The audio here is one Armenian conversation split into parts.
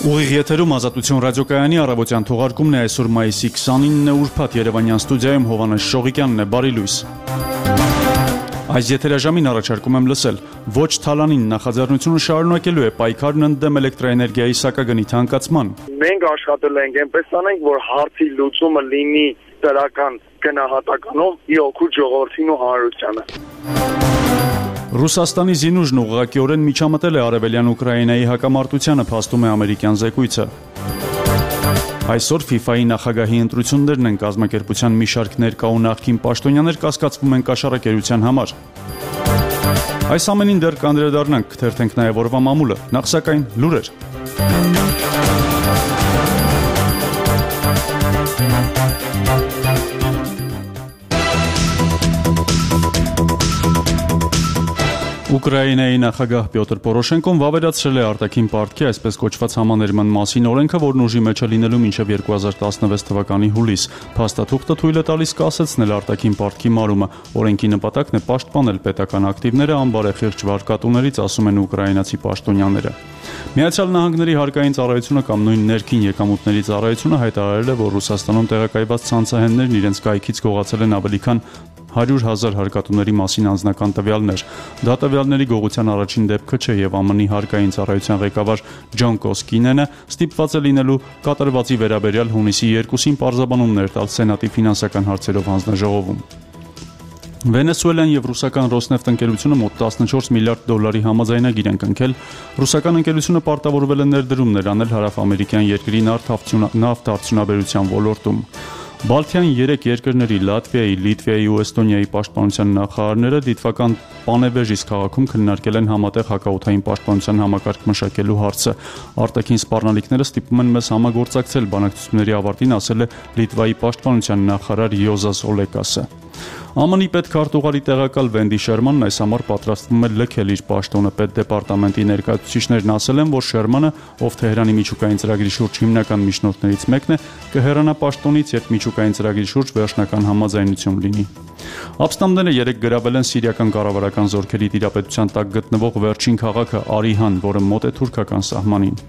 Ուղիղ եթերում Ազատություն ռադիոկայանի առավոտյան թողարկումն է այսօր մայիսի 29-ը ուրբաթ Երևանյան ստուդիայում Հովհաննես Շողիկյանն է, բարի լույս։ Այս եթերաժամին առաջարկում եմ լսել. ոչ թալանին նախաձեռնությունը շարունակելու է պայքարն ընդդեմ էլեկտրաէներգիայի սակագնի թանկացման։ Մենք աշխատել ենք այնպես անենք, որ հարցի լուծումը լինի դրական գնահատականով ի օգուտ ժողովրդին ու հանրությանը։ Ռուսաստանի զինուժն ուղղակիորեն միջամտել է արևելյան Ուկրաինայի հակամարտությանը, փաստում է ամերիկյան զեկույցը։ Այսօր FIFA-ի նախագահի ընտրություններն են, կազմակերպության մի շարք ներկա ու նախկին պաշտոնյաներ կասկածվում են կաշառակերության համար։ Այս ամենին դեռ կանդրադառնանք, կթերթենք նաև օրվա մամուլը, նախ սակայն լուրեր։ Ուկրաինայի նախագահ Պյոտր Պորոշենկոն վավերացրել է արտաքին պարտքի այսպես կոչված համաներման մասին օրենքը, որն ուժի մեջ է լինելու մինչև 2016 թվականի հուլիս։ Փաստաթուղթը թույլ է տալիս կասեցնել արտաքին պարտքի մարումը։ Օրենքի նպատակն է պաշտպանել պետական ակտիվները անբարեխիղճ վարկատուներից, ասում են ուկրաինացի պաշտոնյաները։ Միացյալ Նահանգների հարկային ծառայությունը կամ նույն ներքին եկամուտների ծառայությունը հայտարարել է, որ Ռուսաստանում տեղակայված ցանցահեններն իրենց կայքից գողացել են ավելի քան 100,000 հարկատուների մասին անձնական տվյալներ։ Դա տվյալների գողության առաջին դեպքը չէ եւ ԱՄՆ-ի հարկային ծառայության ղեկավար Ջոն Կոսկինենը ստիպված է լինելու կատարվածի վերաբերյալ հունիսի 2-ին պարզաբանումներ տալ Սենատի ֆինանսական հարցերով հանձնաժողովում։ Վենեսուելան եւ ռուսական Ռոսնեֆտ ընկերությունը մոտ 14 միլիարդ դոլարի համաձայնագիր են կնքել։ Ռուսական ընկերությունը պարտավորվել է ներդրումներ անել հարավամերիկյան երկրի նավթ արդյունաբերության ոլորտում։ Բալթյան 3 երկրների Լատվիայի, Լիտվայի ու Էստոնիայի պաշտպանության նախարարները դիտվական Պանևեժիս քաղաքում քննարկել են համատեղ հակաօդային պաշտպանության համակարգ մշակելու հարցը։ Արտաքին սպառնալիքները ստիպում են մեզ համագործակցել, բանակցությունների ավարտին ասել է Լիտվայի պաշտպանության նախարար Յոզաս Օլեկասը։ ԱՄՆ-ի պետքարտուղարի տեղակալ Վենդի Շերմանն այս համար պատրաստվում է լքել իր պաշտոնը։ Պետդեպարտամենտի ներկայացուցիչներն ասել են, որ Շերմանը, ով Թեհրանի միջուկային ծրագրի շուրջ հիմնական միջնորդներից մեկն է, կհեռանա պաշտոնից, երբ միջուկային ծրագրի շուրջ վերջնական համաձայնություն լինի։ Ապստամբները 3 գրավել են սիրիական կառավարական զորքերի տիրապետության տակ գտնվող վերջին քաղաքը Արիհան, որը մոտ է թուրքական սահմանին։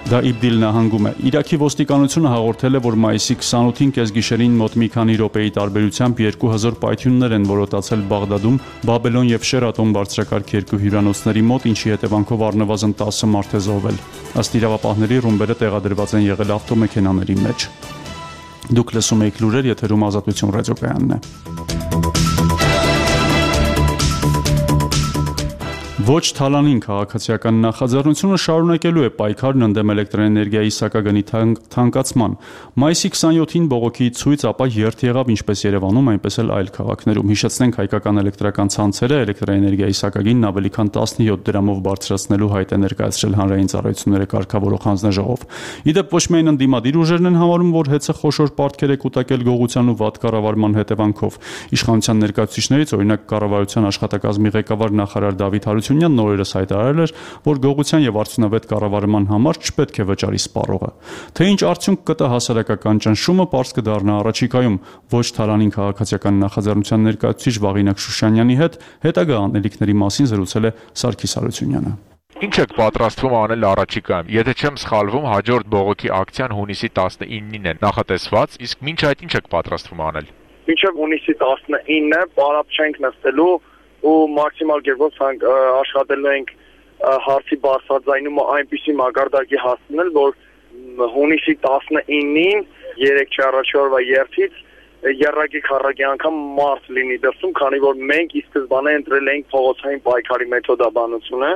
Դա Իբդիլ նահանգում է։ Իրաքի ոստիկանությունը հաղորդել է, որ մայիսի 28-ին կեսգիշերին մոտ մի քանի րոպեի տարբերությամբ 2000 պայթյուններ են որոտացել Բաղդադում, Բաբելոն եւ Շերատոն բարձրակարգ երկու հյուրանոցների մոտ, ինչի հետևանքով առնվազն 10 մարդ է զոհվել։ Ըստ իրավապահների ռումբերը տեղադրված են եղել ավտոմեքենաների մեջ։ Դուք լսում եք լուրեր, եթերում Ազատություն ռադիոկայանն է։ Ոչ թալանին քաղաքացիական նախաձեռնությունը շարունակելու է պայքարն ընդդեմ էլեկտրաէներգիայի սակագնի թանկացման։ Մայիսի 27-ին բողոքի ցույց ապա երթ եղավ ինչպես Երևանում, այնպես էլ այլ քաղաքներում։ Հիշեցնենք, հայկական էլեկտրական ցանցերը էլեկտրաէներգիայի սակագինն ավելի քան 17 դրամով բարձրացնելու հայտ է ներկայացրել հանրային ծառայությունները կարգավորող հանձնաժողով։ Իդեպ ոչ միայն ընդդիմադիր ուժերն են համարում, որ հեծը խոշոր պարտքեր է կուտակել գողության ու վատ կառավարման հետևանքով։ Իշխանության ներկայացուցիչներից, օրինակ, կառավարության աշխատակազմի ղեկավար նախարար Դավիթ Հարությունյանն նորերս հայտարարել էր, որ գողության եւ արդյունավետ կառավարման համար չպետք է վճարի սպառողը։ Թե ինչ արդյունք կտա հասարակական ճնշումը, պարզ կդառնա առաջիկայում։ Ոչ թալանին քաղաքացիական նախաձեռնության ներկայացուցիչ Վաղինակ Շուշանյանի հետ հետագա անելիքների մասին զրուցել է Սարգիս Հարությունյանը։ Ինչ եք պատրաստվում անել առաջիկայում։ Եթե չեմ սխալվում, հաջորդ բողոքի ակցիան հունիսի 19-ին է նախատեսված, իսկ մինչ այդ ինչ եք պատրաստվում անել։ Մինչև հունիսի 19-ը պարապ չենք նստելու ու մաքսիմալ կերպով աշխատելու ենք հարցի բարձրաձայնումը այնպիսի մակարդակի հասցնել, որ հունիսի 19-ին 3-4 օրվա երթից երրակի քառակի անգամ մարդ լինի դրսում, քանի որ մենք ի սկզբանե ընտրել ենք փողոցային պայքարի մեթոդաբանությունը,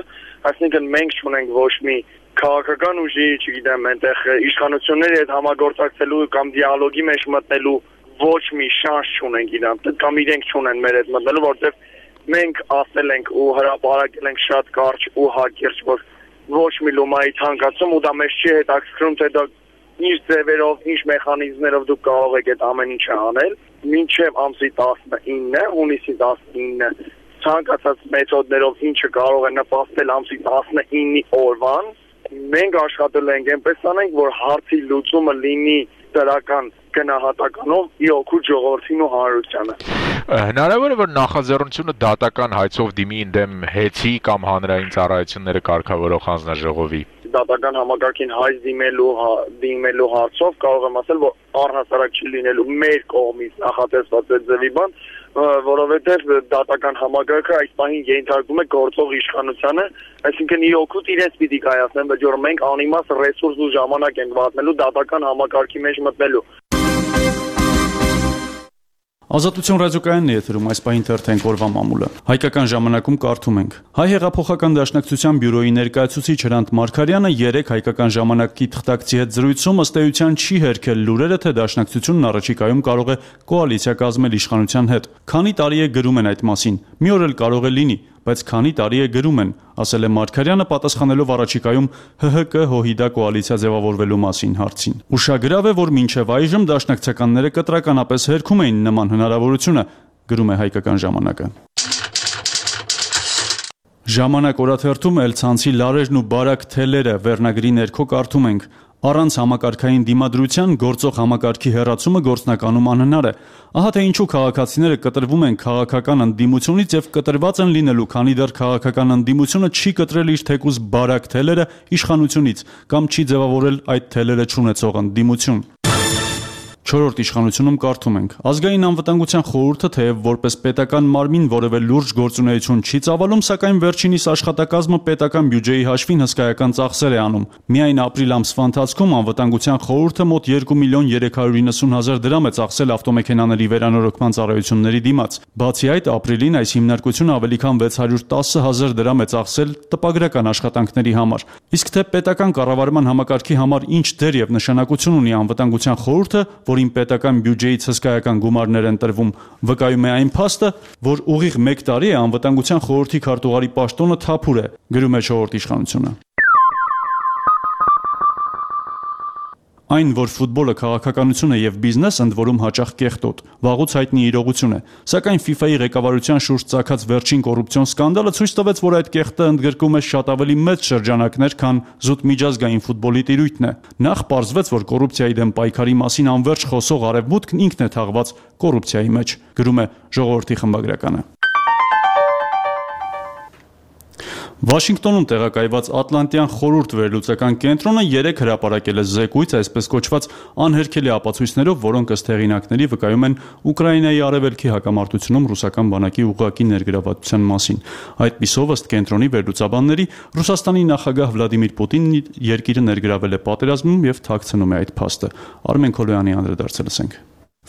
այսինքն մենք չունենք ոչ մի քաղաքական ուժի, չգիտեմ, այնտեղ իշխանությունների հետ համագործակցելու կամ դիալոգի մեջ մտնելու ոչ մի շանս չունենք իրանք, կամ իրենք չունեն մեր հետ մտնելու, որտեղ մենք ասել ենք ու հրապարակել ենք շատ կարճ ու հակիրճ, որ ոչ մի լումայի թանկացում ու դա մեզ չի հետաքրքրում, թե դա ինչ ձևերով, ինչ մեխանիզմներով դուք կարող եք այդ ամեն ինչը անել, մինչև ամսի 19-ը, հունիսի 19-ը ցանկացած մեթոդներով ինչը կարող է նպաստել ամսի 19-ի օրվան, մենք աշխատել ենք այնպես անենք, որ հարցի լուծումը լինի դրական գնահատականով ի օգուտ ժողովրդին ու հանրությանը։ Հնարավոր է, որ նախաձեռնությունը դատական հայցով դիմի ընդդեմ ՀԵՑ-ի կամ հանրային ծառայությունները կարգավորող հանձնաժողովի։ դատական համակարգին հայց դիմելու հարցով կարող եմ ասել, որ առհասարակ չի լինելու մեր կողմից նախատեսված այդ ձևի բան, որովհետև դատական համակարգը այս պահին ենթարկվում է գործող իշխանությանը, այսինքն իր օգուտ իրենց պիտի կայացնեն, բայց որ մենք անիմաստ ռեսուրս ու ժամանակ ենք վատնելու դատական համակարգի մեջ մտնելու։ Ազատություն ռադիոկայանն է եթերում այս պահին թերթենք օրվա մամուլը։ Հայկական ժամանակում կարդում ենք. Հայ հեղափոխական դաշնակցության բյուրոյի ներկայացուցիչ Հրանտ Մարգարյանը երեք հայկական ժամանակի թղթակցի հետ զրույցում ըստ էության չի հերքել լուրերը, թե դաշնակցությունն առաջիկայում կարող է կոալիցիա կազմել իշխանության հետ։ Քանի տարի է գրում են այդ մասին։ Մի օր էլ կարող է լինի, բայց քանի տարի է գրում են, ասել է Մարգարյանը պատասխանելով առաջիկայում ՀՀԿ-ՀՅԴ կոալիցիա ձևավորվելու մասին հարցին։ Ուշագրավ է, որ մինչև այժմ դաշնակցականները կտրականապես հերքում էին նման հնարավորությունը, գրում է Հայկական ժամանակը։ Ժամանակ օրաթերթում Էլցանցի լարերն ու բարակ թելերը վերնագրի ներքո կարդում ենք. Առանց համակարգային դիմադրության գործող համակարգի հեռացումը գործնականում անհնար է։ Ահա թե ինչու քաղաքացիները կտրվում են քաղաքական ընդդիմությունից եւ կտրված են լինելու, քանի դեռ քաղաքական ընդդիմությունը չի կտրել իր թեկուզ բարակ թելերը իշխանությունից կամ չի ձևավորել այդ թելերը չունեցող ընդդիմություն։ Չորրորդ իշխանությունում կարդում ենք. Ազգային անվտանգության խորհուրդը թեև որպես պետական մարմին որևէ լուրջ գործունեություն չի ծավալում, սակայն վերջինիս աշխատակազմը պետական բյուջեի հաշվին հսկայական ծախսեր է անում։ Միայն ապրիլ ամսվա ընթացքում անվտանգության խորհուրդը մոտ 2.390.000 դրամ է ծախսել ավտոմեքենաների վերանորոգման ծառայությունների դիմաց։ Բացի այդ, ապրիլին այս հիմնարկությունը ավելի քան 610.000 դրամ է ծախսել տպագրական աշխատանքների համար։ Իսկ թե պետական կառավարման համակարգի համար ինչ դեր եւ նշանակություն ունի անվտանգության խորհուրդը, որին պետական բյուջեից հսկայական գումարներ են տրվում, վկայում է այն փաստը, որ ուղիղ 1 տարի է անվտանգության խորհրդի քարտուղարի պաշտոնը թափուր է, գրում է Չորրորդ իշխանությունը։ Այն, որ ֆուտբոլը քաղաքականություն է եւ բիզնես, ընդ որում հաճախ կեղտոտ, վաղուց հայտնի իրողություն է, սակայն FIFA-ի ղեկավարության շուրջ ծագած վերջին կոռուպցիոն սկանդալը ցույց տվեց, որ այդ կեղտը ընդգրկում է շատ ավելի մեծ շրջանակներ, քան զուտ միջազգային ֆուտբոլի տիրույթն է։ Նախ պարզվեց, որ կոռուպցիայի դեմ պայքարի մասին անverջ խոսող արևմուտքն ինքն է թաղված կոռուպցիայի մեջ, գրում է Ժողովրդի խմբագրականը։ Վաշինգտոնում տեղակայված Ատլանտյան խորհուրդ վերլուծական կենտրոնը 3 հրապարակել է զեկույց, այսպես կոչված անհերքելի ապացույցներով, որոնք ըստ հեղինակների վկայում են Ուկրաինայի արևելքի հակամարտությունում ռուսական բանակի ուղղակի ներգրավվածության մասին։ Այդպիսով, ըստ կենտրոնի վերլուծաբանների, Ռուսաստանի նախագահ Վլադիմիր Պուտինն երկիրը ներգրավել է պատերազմում եւ թաքցնում է այդ փաստը։ Արմեն Քոլոյանի անդրադարձը լսենք։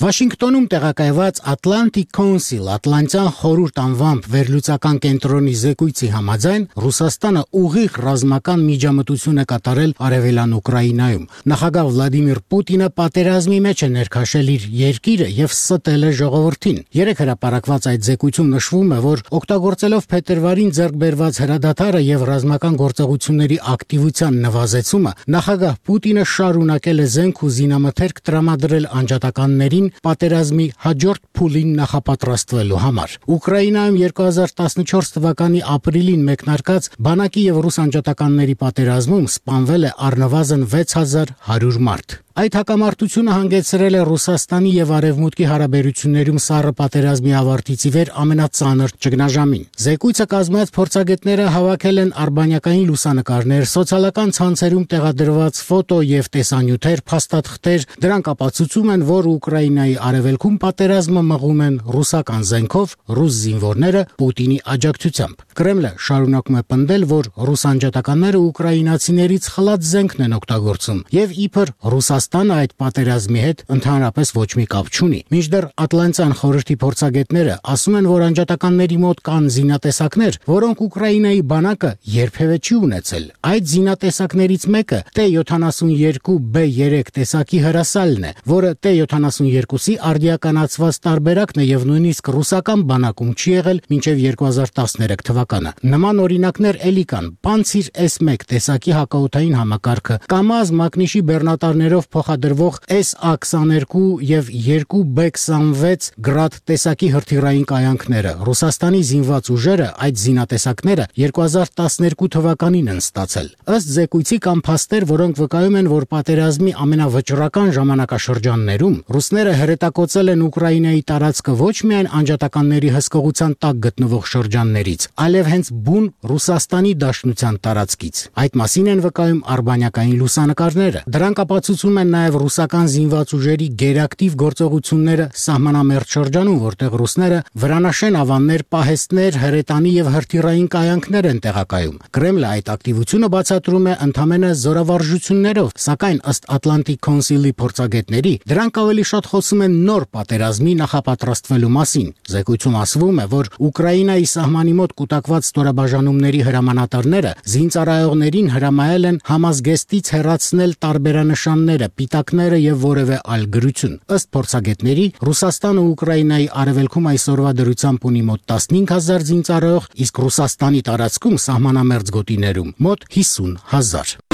Վաշինգտոնում տեղակայված Atlantic Council Ատլանտյան խորհուրդ անվամբ վերլուծական կենտրոնի զեկույցի համաձայն Ռուսաստանը ուղիղ ռազմական միջամտություն է կատարել արևելյան Ուկրաինայում։ Նախագահ Վլադիմիր Պուտինը պատերազմի մեջ է ներքաշել իր երկիրը եւ ստել է ժողովրդին։ 3 հրապարակված այդ զեկույցում նշվում է, որ օգտագործելով փետրվարին ձեռք բերված հրադադարը եւ ռազմական գործողությունների ակտիվության նվազեցումը, նախագահ Պուտինը շարունակել է զենք ու զինամթերք տրամադրել անջատականներին պատերազմի հաջորդ փուլին նախապատրաստվելու համար։ Ուկրաինայում 2014 թվականի ապրիլին մեկնարկած բանակի եւ ռուս անջատականների պատերազմում սպանվել է առնվազն 6100 մարդ։ Այդ հակամարտությունը հանգեցրել է Ռուսաստանի եւ Արևմուտքի հարաբերություններում սառը պատերազմի ավարտից ի վեր ամենածանր ճգնաժամին։ Զեկույցը կազմած փորձագետները հավաքել են արբանյակային լուսանկարներ, սոցիալական ցանցերում տեղադրված ֆոտո եւ տեսանյութեր, փաստաթղթեր, դրանք ապացուցում են, որ Ուկրաինայի արևելքում պատերազմը մղում են ռուսական զենքով, ռուս զինվորները Պուտինի աջակցությամբ։ Կրեմլը շարունակում է պնդել, որ ռուս անջատականները ուկրաինացիներից խլած զենքն են օգտագործում եւ իբր Ռուսաստանը այդ պատերազմի հետ ընդհանրապես ոչ մի կապ չունի։ Մինչդեռ Ատլանտյան խորհրդի փորձագետները ասում են, որ անջատականների մոտ կան զինատեսակներ, որոնք Ուկրաինայի բանակը երբևէ չի ունեցել։ Այդ զինատեսակներից մեկը T-72B3 տեսակի հրասալն է, որը T-72-ի արդիականացված տարբերակն է եւ նույնիսկ ռուսական բանակում չի եղել մինչեւ 2013 թվականը։ Նման օրինակներ էլի կան. Pantsir S1 տեսակի հակաօդային համակարգը, Kamaz Մակնիշի բեռնատարներով փոխադրվող SA-22 եւ 2B-26 գրադ տեսակի հրթիռային կայանքները։ Ռուսաստանի զինված ուժերը այդ զինատեսակները 2012 թվականին են ստացել։ Ըստ զեկույցի կամ փաստեր, որոնք վկայում են, որ պատերազմի ամենավճռական ժամանակաշրջաններում ռուսները հրետակոծել են Ուկրաինայի տարածքը ոչ միայն անջատականների հսկողության տակ գտնվող շրջաններից, այլև հենց բուն Ռուսաստանի Դաշնության տարածքից։ Այդ մասին են վկայում արբանյակային լուսանկարները։ Դրանք ապացուցում են նաև ռուսական զինված ուժերի գերակտիվ գործողությունները սահմանամերձ շրջանում, որտեղ ռուսները վրանաշեն ավաններ, պահեստներ, հրետանի եւ հրթիռային կայանքներ են տեղակայում։ Կրեմլը այդ ակտիվությունը բացատրում է ընդհանրապես զորավարժություններով, սակայն ըստ Atlantic Council-ի փորձագետների, դրանք ավելի շատ խոսում են նոր պատերազմի նախապատրաստվելու մասին։ Զեկույցում ասվում է, որ Ուկրաինայի սահմանի մոտ կուտակված ստորաբաժանումների հրամանատարները զինծառայողներին հրամայել են համազգեստից հեռացնել տարբերանշանները, պիտակները եւ որևէ այլ գրություն։ Ըստ փորձագետների, Ռուսաստանը Ուկրաինայի արևելքում այսօրվա դրությամբ ունի մոտ 15000 զինծառայող, իսկ Ռուսաստանի տարածքում սահմանամերձ գոտիներում մոտ 50000։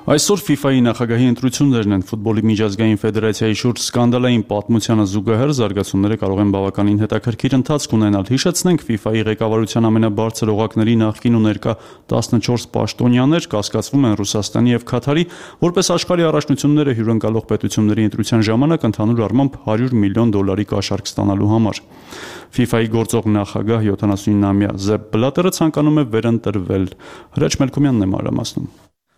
Այսօր FIFA-ի նախագահի ընտրություններն են ֆուտբոլի միջազգային ֆեդերացիայի շուրջ սկանդալային պատմությանը զուգահեռ զարգացումները կարող են բավականին հետաքրքիր ընթացք ունենալ։ Հիշեցնենք, FIFA-ի ղեկավարության ամենաբարձր օղակների նախկին ու ներկա 14 պաշտոնյաներ կասկածվում են Ռուսաստանի եւ Քաթարի, որպես աշխարհի առաջնությունները հյուրընկալող պետությունների ընտրության ժամանակ ընդհանուր առմամբ $100 միլիոն կաշառք ստանալու համար։ FIFA-ի գործող նախագահ 79-ամյա Զեփ Բլատերը ցանկանում է վերընտրվել։ Հրաչ Մելքումյանն է մանրամասնում։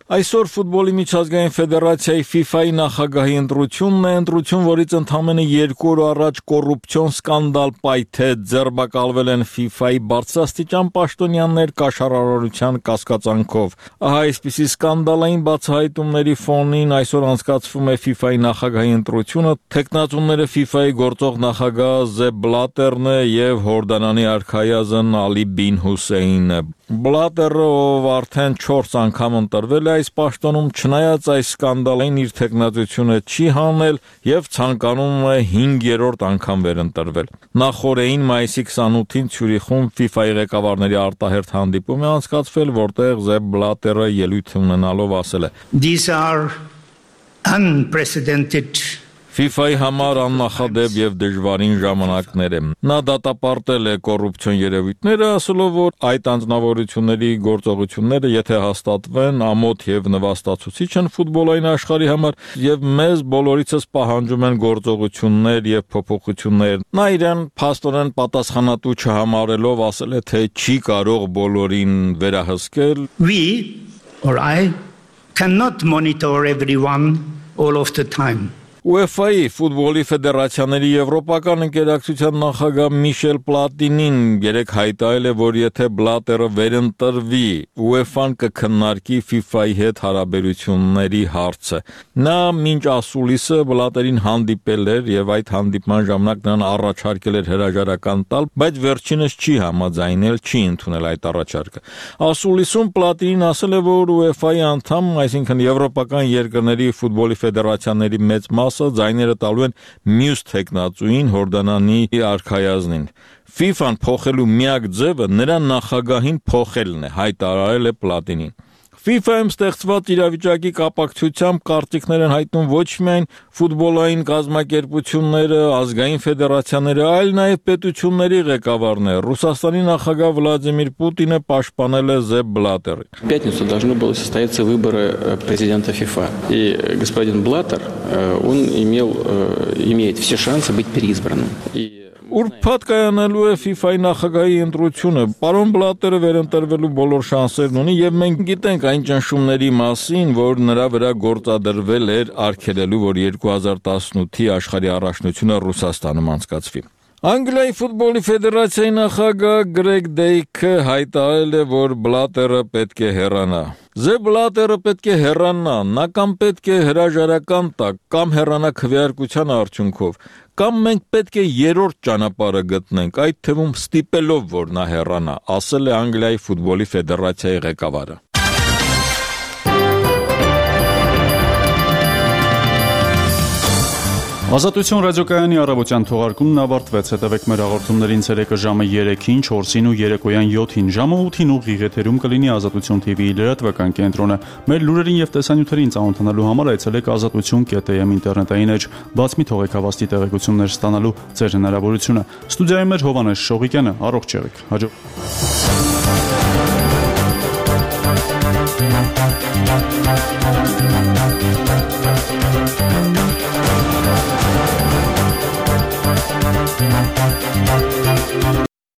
Այսօր ֆուտբոլի միջազգային ֆեդերացիայի FIFA-ի նախագահի ընտրությունն է, ընտրություն, որից ընդամենը 2 օր առաջ կոռուպցիոն սկանդալ պայթեց, ձերբակալվել են FIFA-ի բարձրաստիճան պաշտոնյաներ կաշառարարության կասկածանքով։ Ահա այսպիսի սկանդալային բացահայտումների ֆոնին այսօր անցկացվում է FIFA-ի նախագահի ընտրությունը, թեկնածուները FIFA-ի գործող նախագահ Զեփ Բլատերն է եւ Հորդանանի արքայազն Ալի Բին Հուսեյնը։ Բլատերը, ով արդեն 4 անգամ ընտրվել է այս պաշտոնում, չնայած այս սկանդալին իր թեկնածությունը չի հանել եւ ցանկանում է 5-րդ անգամ վերընտրվել։ Նախորդին մայիսի 28-ին Ցյուրիխում FIFA-ի ղեկավարների արտահերթ հանդիպում է անցկացվել, որտեղ Զեփ Բլատերը ելույթ ունենալով ասել է. These are unprecedented FIFA-ի համար աննախադեպ եւ դժվարին ժամանակներ է։ Նա դատապարտել է կոռուպցիոն երևույթները, ասելով, որ այդ անձնավորությունների գործողությունները, եթե հաստատվեն, ամոթ եւ նվաստացուցիչ են ֆուտբոլային աշխարհի համար եւ մեզ բոլորիցս պահանջում են գործողություններ եւ փոփոխություններ։ Նա իրեն փաստորեն պատասխանատու չհամարելով ասել է, թե չի կարող բոլորին վերահսկել։ We or I cannot monitor everyone all of the time. UEFA-ի ֆուտբոլի ֆեդերացիաների եվրոպական ընկերակցության նախագահ Միշել Պլատինին երեկ հայտարարել է, որ եթե Բլատերը վերընտրվի, UEFA-ն կքննարկի FIFA-ի հետ հարաբերությունների հարցը։ Նա մինչ ասուլիսը Բլատերին հանդիպել էր եւ այդ հանդիպման ժամանակ նրան առաջարկել էր հրաժարական տալ, բայց վերջինս չի համաձայնել, չի ընդունել այդ առաջարկը։ Ասուլիսում Պլատինին ասել է, որ UEFA-ի անդամ, այսինքն եվրոպական երկրների ֆուտբոլի ֆեդերացիաների մեծ ձայները տալու են մյուս թեկնածուին Հորդանանի արքայազնին։ FIFA-ն փոխելու միակ ձևը նրա նախագահին փոխելն է, հայտարարել է Պլատինին։ FIFA-ում ստեղծված իրավիճակի կապակցությամբ կարծիքներ են հայտնում ոչ միայն ֆուտբոլային կազմակերպությունները, ազգային ֆեդերացիաները, այլ նաև պետությունների ղեկավարները։ Ռուսաստանի նախագահ Վլադիմիր Պուտինը պաշտպանել է Զեփ Բլատերին։ В пятницу должны были состояться выборы президента ФИФА. И господин Блаттер, он имеет все шансы быть переизбранным. Ուրբաթ կայանալու է FIFA-ի նախագահի ընտրությունը։ Պարոն Բլատերը վերընտրվելու բոլոր շանսերն ունի եւ մենք գիտենք այն ճնշումների մասին, որ նրա վրա գործադրվել էր արգելելու, որ 2018-ի աշխարհի առաջնությունը Ռուսաստանում անցկացվի։ Անգլիայի ֆուտբոլի ֆեդերացիայի նախագահ Գրեգ Դեյքը հայտարարել է, որ Բլատերը պետք է հեռանա։ Զեփ Բլատերը պետք է հեռանա, նա կամ պետք է հրաժարական տա, կամ հեռանա քվեարկության արդյունքով, կամ մենք պետք է երրորդ ճանապարհը գտնենք, այդ թվում ստիպելով, որ նա հեռանա, ասել է Անգլիայի ֆուտբոլի ֆեդերացիայի ղեկավարը։ Ազատություն ռադիոկայանի առավոտյան թողարկումն ավարտվեց։ Հետևեք մեր հաղորդումներին ցերեկը ժամը 3-ին, 4-ին ու երեկոյան 7-ին, ժամը 8-ին ուղիղ եթերում կլինի Ազատություն TV-ի լրատվական կենտրոնը։ Մեր լուրերին եւ տեսանյութերին ծանոթանալու համար այցելեք azatutun.am ինտերնետային էջ, բաց մի թողեք հավաստի տեղեկություններ ստանալու ձեր հնարավորությունը։ Ստուդիայում մեր Հովանես Շողիկյանը, առողջ եղեք։ Հաջող